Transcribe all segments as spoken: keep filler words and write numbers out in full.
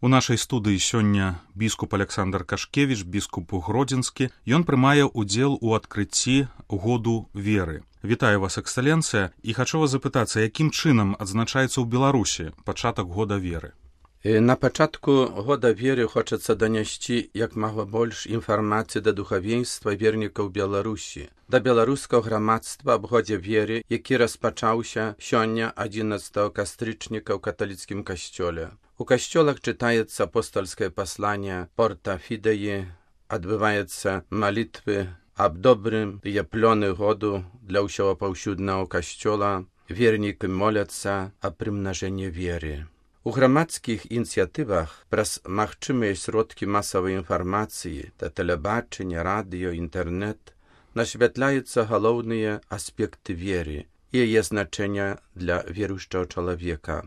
У нашай студыі сёння біскуп Александр Кашкевіч, біскуп Гродзенскі. Ён прымае ўдзел у адкрыцці году веры. Вітаю вас, эксцэленцыя, і хачу вас запытацца, якім чынам адзначаецца ў Беларусі пачатак года веры? На пачатку года веры хочацца данясці як мага больш інфармацыі да духавенства вернікаў Беларусі, да беларускага грамадства аб годзе веры, які распачаўся сёння адзінаццатага кастрычніка ў каталіцкім касцёле. У касцёлах чытаецца апостольскае пасланне Порта Фідеі, адбываецца малітвы аб добрым і плёны году для ўсяго паўсюднага касцёла, вернікі моляцца аб прымнажэнні веры. У грамадскіх ініцыятывах праз магчымыя сродкі масавай інфармацыі, да тэлебачання, радыё, інтэрнэт насвятляюцца галоўныя аспекты веры і яе значэння для веруючага чалавека.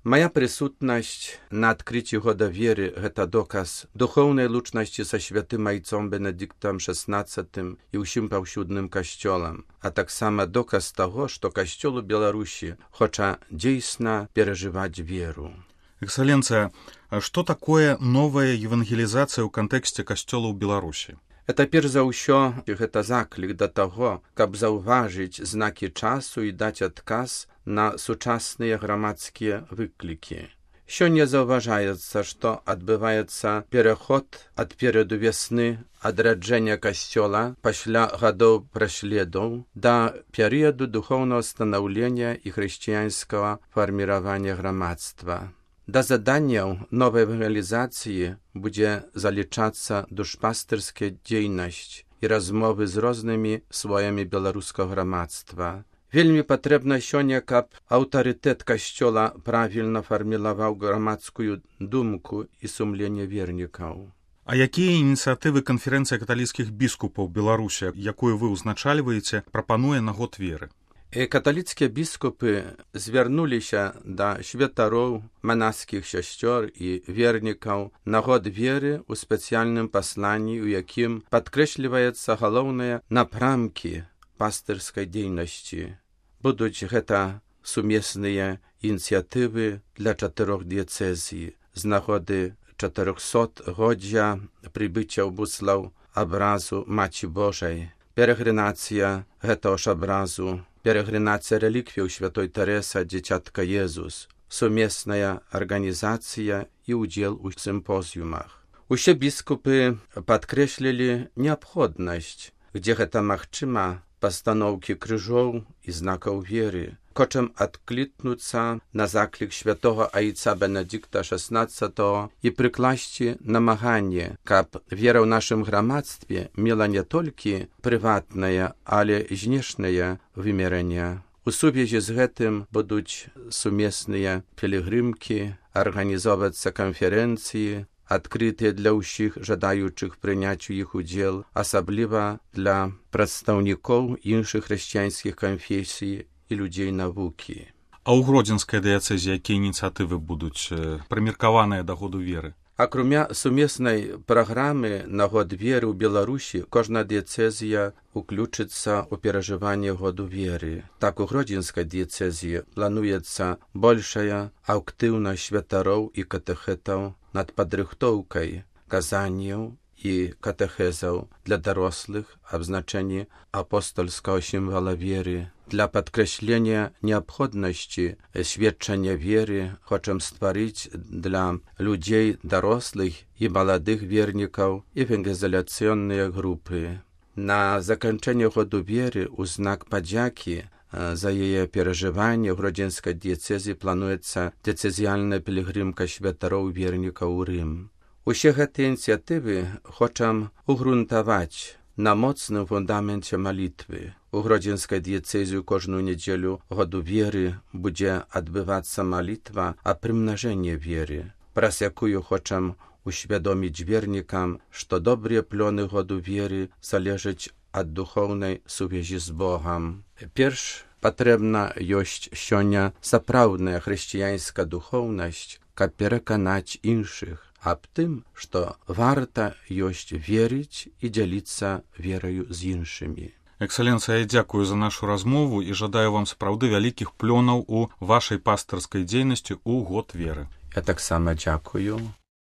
Мая прысутнасць на адкрыцці года веры – гэта доказ духоўнай лучнасці са святым айцом Бенедыктам шаснаццатым і ўсім паўсюдным касцёлам, а таксама доказ таго, што касцёл у Беларусі хоча дзейсна перажываць веру. Эксцэленцыя, а што такое новая евангелізацыя ў кантэксце касцёла ў Беларусі? Это перш за ўсё гэта заклік да таго, каб заўважыць знакі часу і даць адказ на сучасныя грамадскія выклікі. Сёння заўважаецца, што адбываецца пераход ад перыяду вясны, адраджэння касцёла пасля гадоў праследаў да перыяду духоўнага станаўлення і хрысціянскага фарміравання грамадства. Да заданняў новай евангелізацыі будзе залічацца душпастырская дзейнасць і размовы з рознымі слоямі беларускага грамадства. Вельмі патрэбна сёння, каб аўтарытэт касцёла правільна фарміраваў грамадскую думку і сумленне вернікаў. А якія ініцыятывы канферэнцыя каталіцкіх біскупаў Беларусі, якую вы ўзначальваеце, прапануе на год веры? Каталіцкія біскупы звярнуліся да святароў, манаскіх сясцёр і вернікаў на год веры ў спецыяльным пасланні, у якім падкрэсліваецца галоўныя напрамкі пастырскай дзейнасці. Будуць гэта сумесныя ініцыятывы для чатырох дыяцэзій з нагоды чатырохсотгоддзя прыбыцця ў Буслаў абразу Маці Божай, перагрынацыя гэтага ж абразу, перагрынацыя рэліквіяў святой Тэрэсы, дзіцятка Езус, сумесная арганізацыя і ўдзел у сімпозіумах. Усе біскупы падкрэслілі неабходнасць, дзе гэта магчыма, пастаноўкі крыжоў і знакаў веры, хочам адклікнуцца на заклік святога айца Бенедыкта шаснаццатага і прыкласці намаганне, каб вера ў нашым грамадстве мела не толькі прыватнае, але знешняе вымярэнне. У сувязі з гэтым будуць сумесныя пілігрымкі, арганізоўвацца канферэнцыі, адкрытыя для ўсіх жадаючых прыняць у іх удзел, асабліва для прадстаўнікоў іншых хрысціянскіх канфесій і людзей навукі. А ў Гродзенскай дыяцэзе якія ініцыятывы будуць прымеркаваныя да году веры? Акрамя сумеснай праграмы на год веры ў Беларусі, кожная дыяцэзія уключыцца ў перажыванне году веры. Так у Гродзенскай дыяцэзіі плануецца большая актыўнасць святароў і катэхэтаў над падрыхтоўкай казанняў і катэхезаў для дарослых аб значэнні апостольскага сімвала веры. Для падкрэслення неабходнасці сведчання веры хочам стварыць для людзей дарослых і маладых вернікаў евангелізацыйныя групы. На заканчэнне году веры ў знак падзякі за яе перажыванне ў Гродзенскай дыяцэзе плануецца дыяцэзіяльная пілігрымка святароў вернікаў у Рым. Усе гэтыя ініцыятывы хочам угрунтаваць на моцным фундаменце малітвы. У Гродзенскай дыяцэзе кожную нядзелю году веры будзе адбывацца малітва аб прымнажэнні веры, праз якую хочам усвядоміць вернікам, што добрыя плёны году веры залежаць ад духоўнай сувязі з Богам. Перш патрэбна ёсць сёння сапраўдная хрысціянская духоўнасць, каб пераканаць іншых аб тым, што варта ёсць верыць і дзяліцца вераю з іншымі. Эксцэленцыя, я дзякую за нашу размову і жадаю вам сапраўды вялікіх плёнаў у вашай пастырскай дзейнасці ў год веры. Я таксама дзякую.